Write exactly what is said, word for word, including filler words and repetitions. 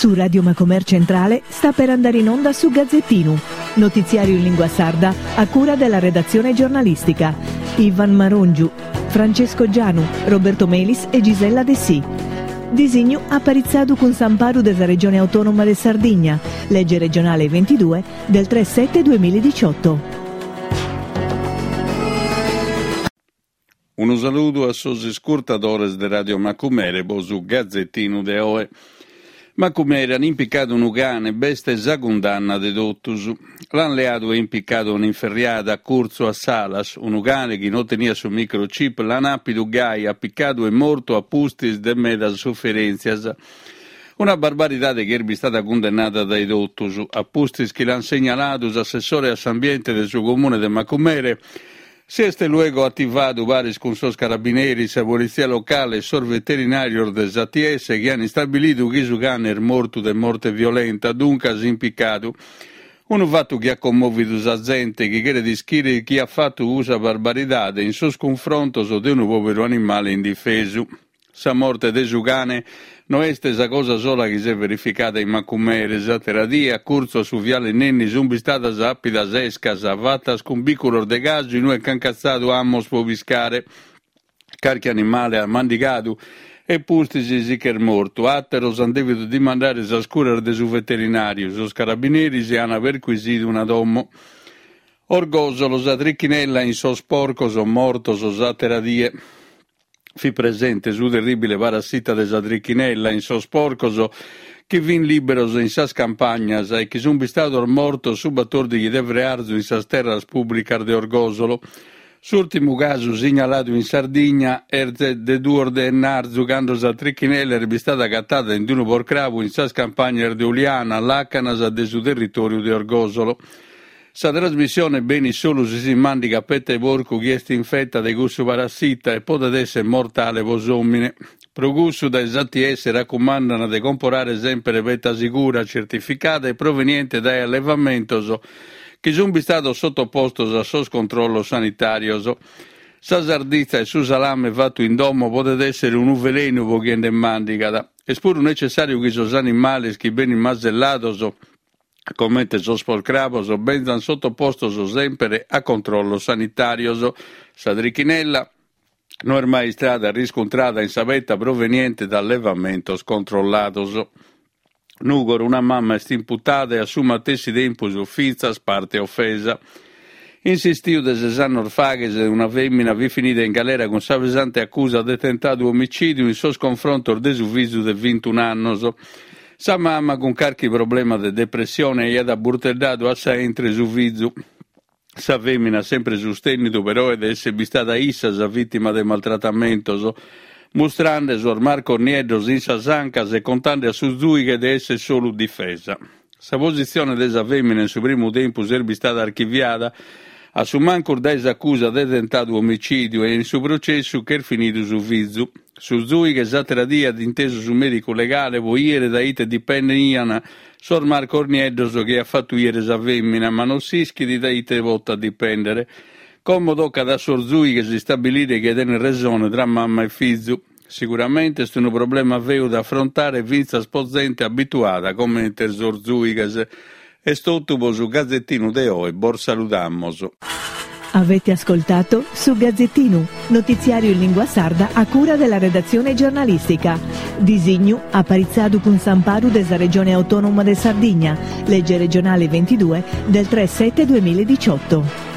Su Radio Macomer Centrale sta per andare in onda su Gazzettinu, notiziario in lingua sarda a cura della redazione giornalistica. Ivan Marongiu, Francesco Gianu, Roberto Melis e Gisella Dessì. Disignu aparitzadu cun s'amparu de sa Regione Autonoma de Sardigna, legge regionale ventidue del tre sette duemiladiciotto. Unu saludu a sos iscurtadores de Radio Macumere po su Gazzettinu de oe. Macumere an impicadu unu cane, b'est sa cundanna de totus. L'an leadu e impicadu un'inferriada a curtzu a Salas, unu cane chi non teniat su microchip, l'an àpidu gai, apicadu e mortu a pustis de medas suferèntzias. Una barbaridade chi est bistada cundennada dae totus. A pustis chi l'an segnaladu s'assessore a s'ambiente de su comune de Macumere, si est luego ativadu paris cun sos carabineris, sa politzia locale e sos veterinàrios de s'A T S chi an istabilidu chi su cane est mortu de morte violenta, duncas impicadu. Unu fatu chi at commòvidu sa zente chi cheret ischire chi at fatu cussa barbaridade in sos cunfrontos de unu pòveru animale indifesu. Sa morte de su cane no est sa cosa sola chi s'est verificada in Macumere. S'àtera die, a curtzu a su viale Nenni, sunt bistadas àpidas escas fatas cun bìculos de casu inue ch'an catzadu amos pro piscare. Carchi animale at mandigadu e pustis si ch'est mortu. Àteros ant dèvidu dimandare sas curas de su veterinàriu. Sos carabineris ant perquisidu una domo. Orgosolo, sa trichinella in sos porcos mortos s'àtera die. Fit presente su terribile parassita de sa trichinella in sos porcos chi fin liberos in sas campagnas e chi sun bistados mortos su batòrdighi de frearzu in sas terras pùblicas de Orgosolo. S'ùrtimu casu signaladu in Sardigna est de duos de ennarzu, cando sa trichinella est bistada agatada in unu porcrabu in sas campagnas de Uliana, làcanas de su territòriu de Orgosolo. Sa trasmissione benit solu si si mandigat petta 'e porcu chi est infetta de cussu parassita e podet essere mortale po s'òmine. Pro cussu dae s'A T S raccumandana de comporare sempre petta sicura, certificada e proveniente dae allevamentos chi sun bistados sottopostos a sos controllos sanitarios. Sa sarditza e su salame fattu in domo podet essere unu velenu po chie nde mandigat. Est puru necessariu chi sos animales chi benin masellados, comente sos porcrabos, benzan sottopostos sempre a controllos sanitarios. Sa trichinella no est mai istada riscontrada in sa petta proveniente da allevamentos controllados. Nùgoro, una mama est imputada e a su matessi tempus fintzas parte offesa. In s'istiu de ses annos faghes, una fèmina fit finida in galera cun sa pesante accusa de tentadu omicìdiu in sos confrontos de su fizu de vintun annos. Sa mama, cun carchi problema de depressione, aiat aburteddadu a sa entre su fizu. Sa fèmina ha sempre sustènnidu però de essere bistada issa sa vìtima de maltratamentos, mustrande sos marcos nieddos in sas ancas e contande a su zuighe de essere solu difesa. Sa positzione de sa fèmina in su primu tempus est bistada archiviada, a su mancus dae s'accusa de tentadu omicìdiu e in su processu ch'est finidu su fizu. Su zuighe s'àtera die at intesu su mèdicu legale po ìere da ite dipendian sos marcos nieddos chi at fatu ìere sa fèmina, ma non s'ischit da ite potat dipendere. Como tocat a sos zuighes istabilire chie tenet resone tra mama e fizu. Sicuramente est unu problema feu da affrontare fintzas po zente abituada comente sos zuighes. Est totu po su Gazzettinu de oe, bos saludamos. Avete ascoltato su Gazzettinu, notiziario in lingua sarda a cura della redazione giornalistica. Disignu aparitzadu cun s'amparu de sa Regione Autonoma de Sardigna, legge regionale ventidue del tre sette duemiladiciotto.